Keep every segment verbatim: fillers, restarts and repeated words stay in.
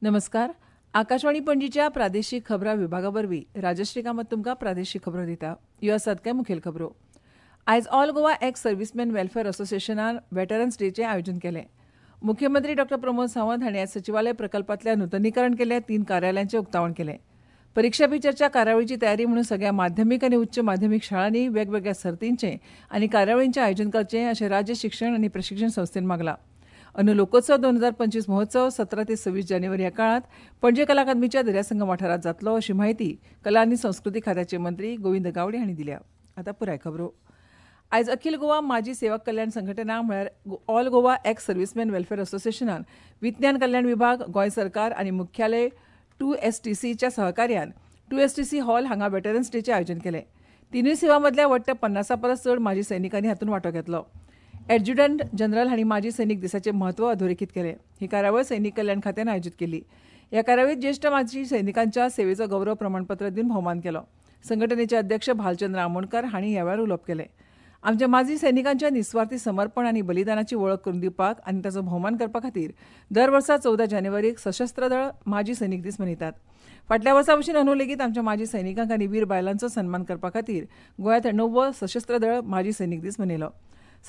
नमस्कार. आकाशवाणी पणजीच्या प्रादेशीक खबरां विभागा वरवीं राजश्री कामत तुमकां प्रादेशीक खबरो दिता. ह्यो आसात कांय मुखेल खबरो. आयज all Goa ex servicemen welfare असोसिएशनान वेटरन्स डेचें आयोजन केलें. मुख्यमंत्री डॉ प्रमोद सावंत हांणी आयज सचिवालय प्रकल्पांतल्या नुतनीकरण केल्ल्या तीन कार्यालयांचें उक्तावण केलें. परिक्षा पे चर्चा कार्यावळीची तयारी म्हणून सगळ्या माध्यमीक आनी उच्च माध्यमीक शाळांनी वेगवेगळ्या सर्तींचें आनी कार्यावळींचें आयोजन करचें अशें राज्य शिक्षण आनी प्रशिक्षण संस्थेन मागलां. अंदू लोकोत्सव दोन हजार पंचवीस महोत्सव सतरा ते सव्वीस जानेवारी ह्या काळांत पणजे कला अकादमीच्या दर्यासंगम वाठारांत जातलो अशी म्हायती कला आनी संस्कृती खात्याचे मंत्री गोविंद गावडे हांणी दिल्या. आतां पुराय खबरो. आयज अखिल गोवा माजी सेवक कल्याण संघटना म्हळ्यार all Goa ex servicemen welfare असोसिएशनान विज्ञान कल्याण विभाग, गोंय सरकार आनी मुख्यालय टू एस टी सीच्या सहकार्यान two S T C hall हांगा वेटरन्स डेचें आयोजन केलें. तिनूय सेवा मदल्या वट्ट पन्नासा परस चड माजी सैनिकांनी हातूंत वांटो घेतलो. ॲडज्युडंट जनरल हांणी माजी सैनिक दिसाचें म्हत्व अधोरेखीत केलें. ही कार्यावळ सैनिक कल्याण खात्यान आयोजीत केली. ह्या कार्यावळीत ज्येश्ठ माजी सैनिकांच्या सेवेचो गौरव प्रमाणपत्र दिवन भोवमान केलो. संघटनेचे अध्यक्ष भालचंद्र आमोणकर हांणी ह्या वेळार उलोवप केलें. आमच्या माजी सैनिकांच्या निस्वार्थी समर्पण आनी बलिदानाची वळख करून दिवपाक आनी ताचो भोवमान करपा खातीर दर वर्सा चवदा जानेवारीक सशस्त्र दळ माजी सैनिक दीस मनयतात. फाटल्या वर्सा भशेन अंदू लेगीत आमच्या माजी सैनिकांक आनी वीर बायलांचो सन्मान करपा खातीर गोंयांत णव्वो सशस्त्र दळ माजी सैनिक दीस मनयलो.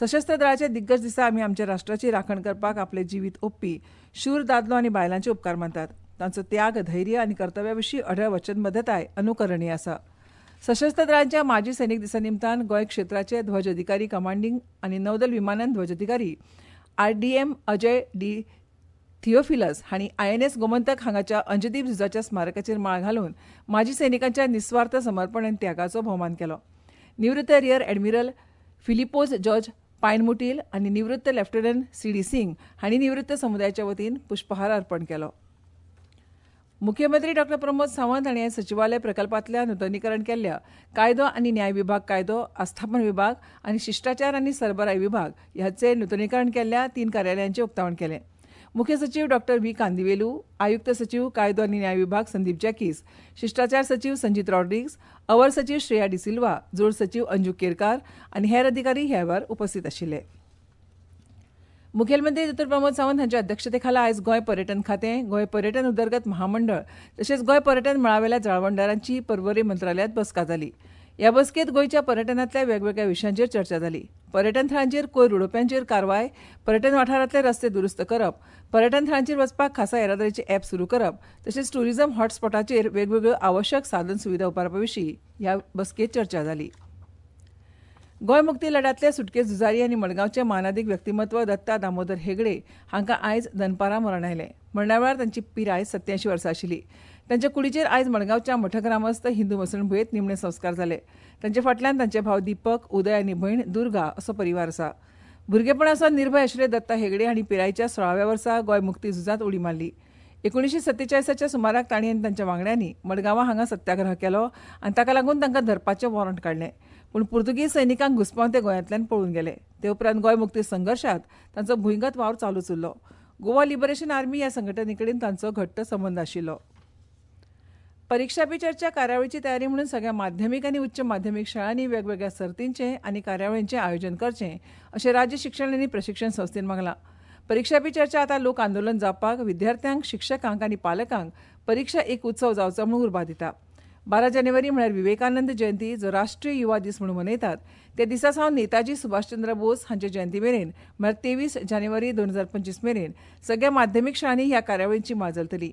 सशस्त्र दळाच्या दिग्गज दिसा आमी आमच्या राष्ट्राची राखण करपाक आपलें जिवीत ओंपपी शूर दादलो आनी बायलांचे उपकार मानतात. तांचो त्याग, धैर्य आनी कर्तव्या विशीं अढळ वचनबद्धताय अनुकरणीय आसा. सशस्त्र दळांच्या माजी सैनिक दिसा निमतान गोंय क्षेत्राचे ध्वज अधिकारी कमांडिंग आनी नौदल विमानन ध्वज अधिकारी R D M Ajay D Theophilus हांणी I N S Gomantak हांगाच्या अंजदीप झुजाच्या स्मारकाचेर माळ घालून माजी सैनिकांच्या निस्वार्थ समर्पण आनी त्यागाचो भोवमान केलो. निवृत्त रियर ॲडमिरल फिलिपोज जॉर्ज पायनमुटील आनी निवृत्त लेफ्टनंट सी डी सिंग हांणी निवृत्त समुदायाच्या वतीन पुष्पहार अर्पण केलो. मुख्यमंत्री डॉ प्रमोद सावंत हांणी आयज सचिवालय प्रकल्पांतल्या नुतनीकरण केल्ल्या कायदो आनी न्याय विभाग, कायदो आस्थापन विभाग आनी शिश्टाचार आनी सरबराय विभाग ह्याचे नुतनीकरण केल्ल्या तीन कार्यालयांचें उक्तावण केलें. मुख्य सचीव डॉ व्ही कांदिवेलू, आयुक्त सचीव कायदो आनी न्याय विभाग संदीप जॅकीस, शिश्टाचार सचीव संजीत रॉड्रिग्स, अवर सचीव श्रेया डिसिल्वा, जोड सचीव अंजू केरकार आनी हेर अधिकारी ह्या वेळार उपस्थित आशिल्ले. मुखेलमंत्री डॉ प्रमोद सावंत हांच्या अध्यक्षतेखाला आयज गोंय पर्यटन खातें, गोंय पर्यटन उदरगत महामंडळ तशेंच गोंय पर्यटन मळावेल्या जाळवणदारांची पर्वरी मंत्रालयांत बसका जाली. ह्या बसकेंत गोंयच्या पर्यटनांतल्या वेगवेगळ्या विशयांचेर चर्चा जाली. पर्यटन थळांचेर कोयर उडोवप्यांचेर कारवाय, पर्यटन वाठारांतले रस्ते दुरुस्त करप, पर्यटन थळांचेर वचपाक खासा येरादारीचे ॲप सुरू करप तशेंच ट्युरिझम हॉटस्पॉटाचेर वेगवेगळ्यो आवश्यक साधन सुविधा उबारपा विशीं ह्या बसकेंत चर्चा जाली. गोंय मुक्ती लढ्यांतले सुटके झुजारी आनी मडगांवचे मानादीक व्यक्तिमत्व दत्ता दामोदर हेगडे हांकां आयज दनपारां मरण आयलें. मरणा वेळार तांची पिराय सत्यायंशी वर्सां आशिल्ली. तांच्या कुडीचेर आयज मडगांवच्या मठग्रामस्थ हिंदू मसणभुंयेंत निमणे संस्कार जाले. तांचे फाटल्यान तांचे भाव दीपक, उदय आनी भयण दुर्गा असो परिवार आसा. भुरगेपणासावन निर्भय आशिल्ले दत्ता हेगडे हांणी पिरायेच्या सोळाव्या वर्सा गोंय मुक्ती झुजांत उडी मारली. एकुणीशे सत्तेचाळीसाच्या सुमाराक तांणी आनी तांच्या वांगड्यांनी मडगांवां हांगा सत्याग्रह केलो आनी ताका लागून तांकां धरपाचें वॉरंट काडलें. पूण पुर्तुगीज सैनिकांक घुसपावन ते गोंयांतल्यान पळून गेले. ते उपरांत गोंय मुक्ती संघर्शांत तांचो भुंयगत वावर चालूच उरलो. गोवा लिबरेशन आर्मी ह्या संघटनेकडेन तांचो घट्ट संबंद आशिल्लो. परिक्षा पे चर्चा कार्यावळीची तयारी म्हणून सगळ्या माध्यमीक आनी उच्च माध्यमीक शाळांनी वेगवेगळ्या सर्तींचें आनी कार्यावळींचें आयोजन करचें अशें राज्य शिक्षण आनी प्रशिक्षण संस्थेन मागलां. परिक्षा पे चर्चा आतां लोक आंदोलन जावपाक विद्यार्थ्यांक, शिक्षकांक आनी पालकांक परिक्षा एक उत्सव जावचो म्हणून उर्बा दिता. बारा जानेवारी म्हळ्यार विवेकानंद जयंती, जो राष्ट्रीय युवा दीस म्हणून मनयतात, त्या दिसा सावन नेताजी सुभाषचंद्र बोस हांचे जयंती मेरेन म्हळ्यार तेवीस जानेवारी दोन हजार पंचवीस मेरेन सगळ्या माध्यमीक शाळांनी ह्या कार्यावळींची माळ चलतली.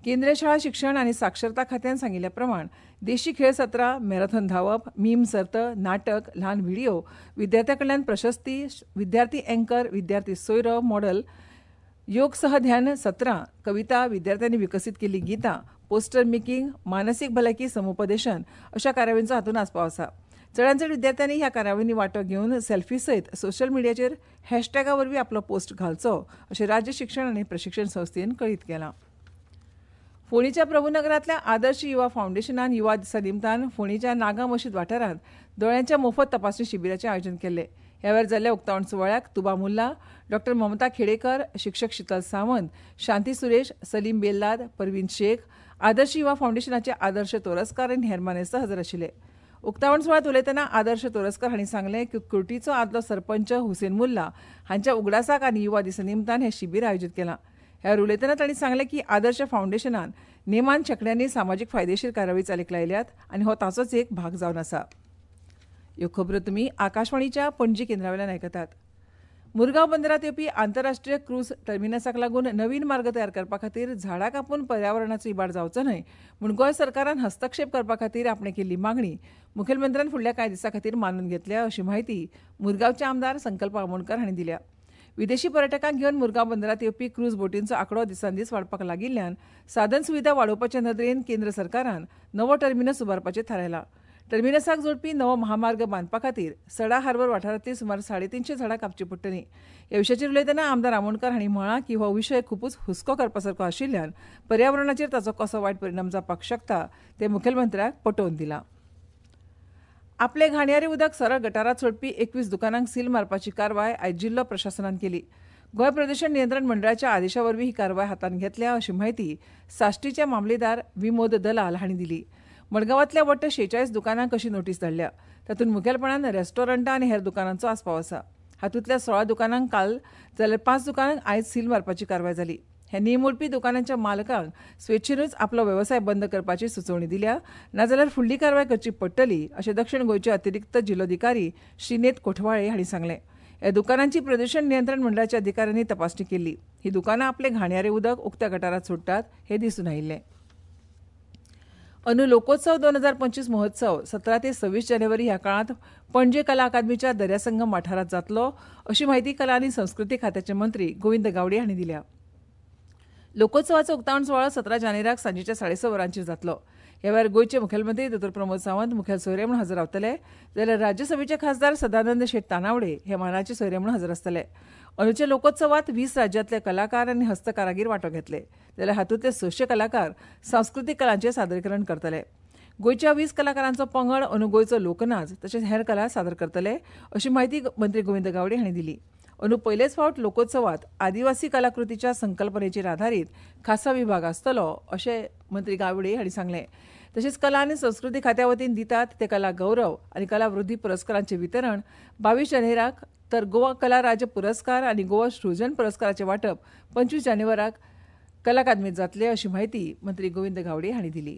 केंद्रीय शाळा शिक्षण आनी साक्षरता खात्यान सांगिल्ल्या प्रमाण देशी खेळ सत्रां, मॅरेथॉन धांवप, मीम सर्त, नाटक, ल्हान व्हिडिओ, विद्यार्थ्यां कडल्यान प्रशस्ती, विद्यार्थी अँकर, विद्यार्थी सोयरो मॉडल, योग सह ध्यान सत्रां, कविता, विद्यार्थ्यांनी विकसीत केल्लीं गितां, पोस्टर मेकिंग, मानसीक भलायकी समुपदेशन अशा कार्यावळींचो हातूंत आस्पाव आसा. चडांत चड विद्यार्थ्यांनी ह्या कार्यावळींनी वांटो घेवन सेल्फी सयत सोशल मिडियाचेर हॅशटॅगा वरवीं आपलो पोस्ट घालचो अशें राज्य शिक्षण आनी प्रशिक्षण संस्थेन कळीत केलां. फोंडेच्या प्रभुनगरांतल्या आदर्श युवा फावंडेशनान युवा दिसा निमतान फोंडेच्या नागा मशीद वाठारांत दोळ्यांच्या मोफत तपासणी शिबिराचें आयोजन केल्लें. ह्या वेळार जाल्ल्या उक्तावण सुवाळ्याक तुबा मुल्ला, डॉ ममता खेडेकर, शिक्षक शीतल सावंत, शांती सुरेश, सलीम बेल्लाद, परवीन शेख, आदर्श युवा फावंडेशनाचे आदर्श तोरस्कार आनी हेर मानेस्त हजर आशिल्ले. उक्तावण सुवाळ्यांत उलयतना आदर्श तोरस्कर हांणी सांगलें की कुर्टीचो आदलो सरपंच हुसेन मुल्ला हांच्या उगडासाक आनी युवा दिसा निमतान हें शिबीर आयोजीत केलां. ह्या वेळार उलयतना तांणी सांगलें की आदर्श फावंडेशनान नेमान शेंकड्यांनी सामाजीक फायदेशीर कार्यावळी चालीक लायल्यात आनी हो ताचोच एक भाग जावन आसा. ह्यो खबरो तुमी आकाशवाणीच्या पणजी केंद्रावेल्यान आयकतात. मुरगांव बंदरांत येवपी आंतरराष्ट्रीय क्रूज टर्मिनसाक लागून नवीन मार्ग तयार करपा खातीर झाडां कापून पर्यावरणाचो इबाड जावचो न्हय म्हूण गोंय सरकारान हस्तक्षेप करपा खातीर आपणें केल्ली मागणी मुखेलमंत्र्यान फुडल्या कांय दिसां खातीर मानून घेतल्या अशी म्हायती मुरगांवचे आमदार संकल्प आमोणकर हांणी दिल्या. विदेशी पर्यटकांक घेवन मुरगांव बंदरांत येवपी क्रूज बोटींचो आंकडो दिसान दीस वाडपाक लागिल्ल्यान साधन सुविधा वाडोवपाचे नदरेन केंद्र सरकारान नवो टर्मिनस उबारपाचें थारायलां. टर्मिनसाक जोडपी नवो महामार्ग बांदपा खातीर सडा हार्बर वाठारांतली सुमार साडेतिनशे झाडां कापची पडटली. ह्या विशयाचेर उलयतना आमदार आमोणकर हांणी म्हळां की हो विशय खुबूच हुस्को करपा सारको आशिल्ल्यान पर्यावरणाचेर ताचो कसो वायट परिणाम जावपाक शकता तें मुखेलमंत्र्याक पटोवन दिलां. आपले घाणयारे उदक सरळ गटारांत सोडपी एकवीस दुकानांक सील मारपाची कारवाय आयज जिल्लो प्रशासनान केली. गोंय प्रदूशण नियंत्रण मंडळाच्या आदेशा वरवीं ही कारवाय हातांत घेतल्या अशी म्हायती साश्टीचे मामलेदार विमोद दलाल हांणी दिली. मडगांवांतल्या वट्ट शेचाळीस दुकानांक अशी नोटीस धाडल्या. तातूंत मुखेलपणान रेस्टॉरंटां आनी हेर दुकानांचो आस्पाव आसा. हातूंतल्या सोळा दुकानांक काल जाल्यार पांच दुकानांक आयज सील मारपाची कारवाय जाली. हे नेम मोडपी दुकानांच्या मालकांक स्वेच्छेनूच आपलो वेवसाय बंद करपाची सुचोवणी दिल्या, नाजाल्यार फुडली कारवाय करची पडटली अशें दक्षिण गोंयचे अतिरिक्त जिल्लोधिकारी श्रीनेत कोठवाळे हांणी सांगलें. ह्या दुकानांची प्रदूशण नियंत्रण मंडळाच्या अधिकाऱ्यांनी तपासणी केली. ही दुकानां आपलें घाणयारें उदक उक्त्या गटारांत सोडटात हें दिसून आयिल्लें. अंदू लोकोत्सव दोन हजार पंचवीस महोत्सव सतरा ते सव्वीस जानेवारी ह्या काळांत पणजे कला अकादमीच्या दर्यासंगम वाठारांत जातलो अशी म्हायती कला आनी संस्कृती खात्याचे मंत्री गोविंद गावडे हांणी दिल्या. लोकोत्सवाचो उक्तावण सुवाळो सतरा जानेवारीक सांजेच्या साडे स वरांचेर जातलो. ह्या वेळार गोंयचे मुखेलमंत्री दोतोर प्रमोद सावंत मुखेल सोयरे म्हूण हजर रावतले, जाल्यार राज्यसभेचे खासदार सदानंद शेट तानावडे हे मानाचे सोयरे म्हूण हजर आसतले. अंदूच्या लोकोत्सवात वीस राज्यांतले कलाकार आनी हस्तकारागीर वांटो घेतले, जाल्यार हातूंतले सशे कलाकार सांस्कृतीक कलांचें सादरीकरण करतले. गोंयच्या वीस कलाकारांचो पंगड अंदू गोंयचो लोकनाच तशेंच हेर कला सादर करतले अशी म्हायती मंत्री गोविंद गावडे हांणी दिली. अंदू पयलेच फावट लोकोत्सवात आदिवासी कलाकृतीच्या संकल्पनेचेर आधारीत खासा विभाग आसतलो अशें मंत्री गावडे हांणी सांगलें. तशेंच कला आनी संस्कृती खात्या वतीन दितात ते कला गौरव आनी कला वृद्धी पुरस्कारांचें वितरण बावीस जानेवारीक, तर गोवा कला राज्य पुरस्कार आनी गोवा सृजन पुरस्काराचें वांटप पंचवीस जानेवारीक कला अकादमीत जातलें अशी म्हायती मंत्री गोविंद गावडे हांणी दिली.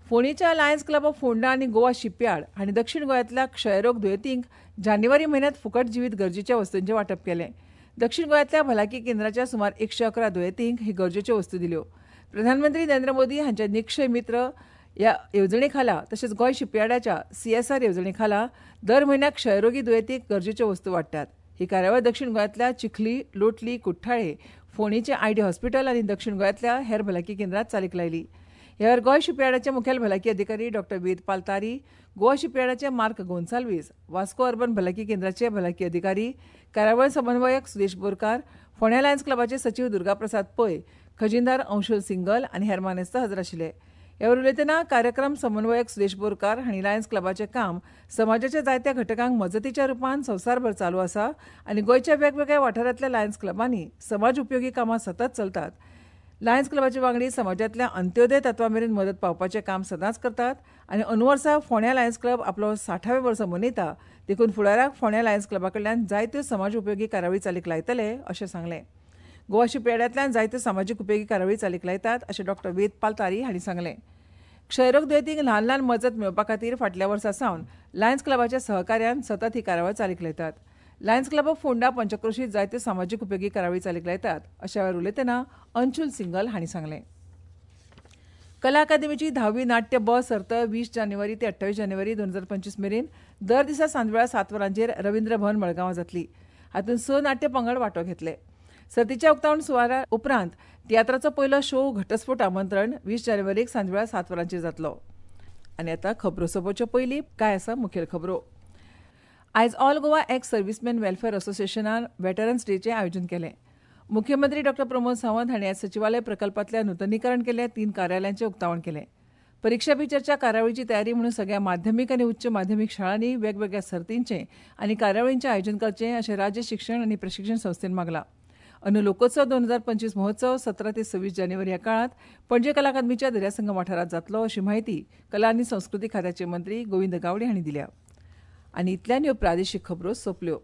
फोंडेच्या लायन्स क्लब ऑफ फोंडा आनी गोवा शिपयार्ड हांणी दक्षिण गोंयांतल्या क्षयरोग दुयेंतींक जानेवारी म्हयन्यांत फुकट जिवीत गरजेच्या वस्तूंचें वांटप केलें. दक्षिण गोंयांतल्या भलायकी केंद्राच्या सुमार एकशे अकरा दुयेंतींक ही गरजेच्यो वस्तू दिल्यो. प्रधानमंत्री नरेंद्र मोदी हांच्या निक्षय मित्र ह्या येवजणे खाला तशेंच गोंय शिपयार्डाच्या सीएसआर येवजणे खाला दर म्हयन्याक क्षयरोगी दुयेंतींक गरजेच्यो वस्तू वांट्टात. ही कार्यावळ दक्षिण गोंयांतल्या चिखली, लोटली, कुठ्ठाळे, फोंडेचें आयडी हॉस्पिटल आनी दक्षिण गोंयांतल्या हेर भलायकी केंद्रांत चालीक लायली. ह्या वेळार गोंय शिपयार्डाचे मुखेल भलायकी अधिकारी डॉक्टर वेदपाल तारी, गोवा शिपयार्डाचे मार्क गोन्साल्वीस, वास्को अर्बन भलायकी केंद्राचे भलायकी अधिकारी, कार्यावळ समन्वयक सुदेश बोरकार, फोंड्या लायन्स क्लबाचे सचीव दुर्गाप्रसाद पै, खजिनदार अंशुल सिंगल आनी हेर मानेस्त हजर आशिल्ले. ह्या वेळार उलयतना कार्यक्रम समन्वयक सुदेश बोरकार हांणी लायन्स क्लबाचें काम समाजाच्या जायत्या घटकांक मजतीच्या रुपान संवसारभर चालू आसा आनी गोंयच्या वेगवेगळ्या वाठारांतल्या लायन्स क्लबांनी समाज उपयोगी कामां सतत चलतात. लायन्स क्लबाचे वांगडी समाजांतल्या अंत्योदय तत्वा मेरेन मदत पावपाचें काम सदांच करतात आनी अंदू वर्सा फोंड्या लायन्स क्लब आपलो साठावें वर्सा मनयता, देखून फुडाराक फोंड्या लायन्स क्लबा कडल्यान जायत्यो समाज उपयोगी कार्यावळी चालीक लायतले अशें सांगलें. गोवा शिपयार्डांतल्यान जायत्यो समाजीक उपयोगी कार्यावळी चालीक लायतात अशें डॉक्टर वेदपाल तारी हांणी सांगलें. क्षयरोग दुयेंतींक ल्हान ल्हान मजत मेळोवपा खातीर फाटल्या वर्सा सावन लायन्स क्लबाच्या सहकार्यान सतत ही कार्यावळ चालीक लायतात. लायन्स क्लब ऑफ फोंडा पंचक्रोशीत जायत्यो समाजीक उपयोगी कार्यावळी चालीक लायतात अशा वेळार उलयतना अंशुल सिंगल हांणी सांगलें. कला अकादमीची धावी नाट्य ब सर्त वीस जानेवारी ते अठ्ठावीस जानेवारी दोन हजार पंचवीस मेरेन दर दिसा सांजवेळा सात वरांचेर रवींद्र भवन मडगांवां जातली. हातूंत स नाट्य पंगड वांटो घेतले. सर्तीच्या उक्तावण सुवाळ्या उपरांत तियात्राचो पयलो शो घटस्फोट आमंत्रण वीस जानेवारीक सांजवेळा सात वरांचेर जातलो. आनी आतां खबरो सोंपोवचे पयलीं काय आसा मुखेल खबरो. आयज all Goa ex servicemen welfare असोसिएशनान वेटरन्स डेचें आयोजन केलें. मुख्यमंत्री डॉक्टर प्रमोद सावंत हांणी आयज सचिवालय प्रकल्पांतल्या नुतनीकरण केल्ल्या तीन कार्यालयांचें उक्तावण केलें. परीक्षा पे चर्चा कार्यावळीची तयारी म्हणून सगळ्या माध्यमीक आनी उच्च माध्यमीक शाळांनी वेगवेगळ्या सर्तींचें आनी कार्यावळींचें आयोजन करचें अशें राज्य शिक्षण आनी प्रशिक्षण संस्थेन मागलां. अंदू लोकोत्सव दोन हजार पंचवीस महोत्सव सतरा ते सव्वीस जानेवारी ह्या काळांत पणजे कला अकादमीच्या दर्यासंगम वाठारांत जातलो अशी म्हायती कला आनी संस्कृती खात्याचे मंत्री गोविंद गावडे हांणी दिल्या. आनी इतल्यान ह्यो प्रादेशीक खबरो सोंपल्यो.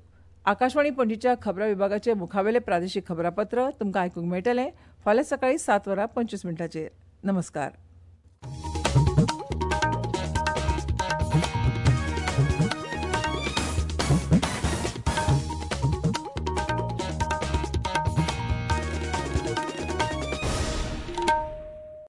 आकाशवाणी पणजीच्या खबरां विभागाचे मुखावेले प्रादेशीक खबरापत्र तुमकां आयकूंक मेळटलें फाल्यां सकाळीं सात वरां पंचवीस मिनटांचेर. नमस्कार.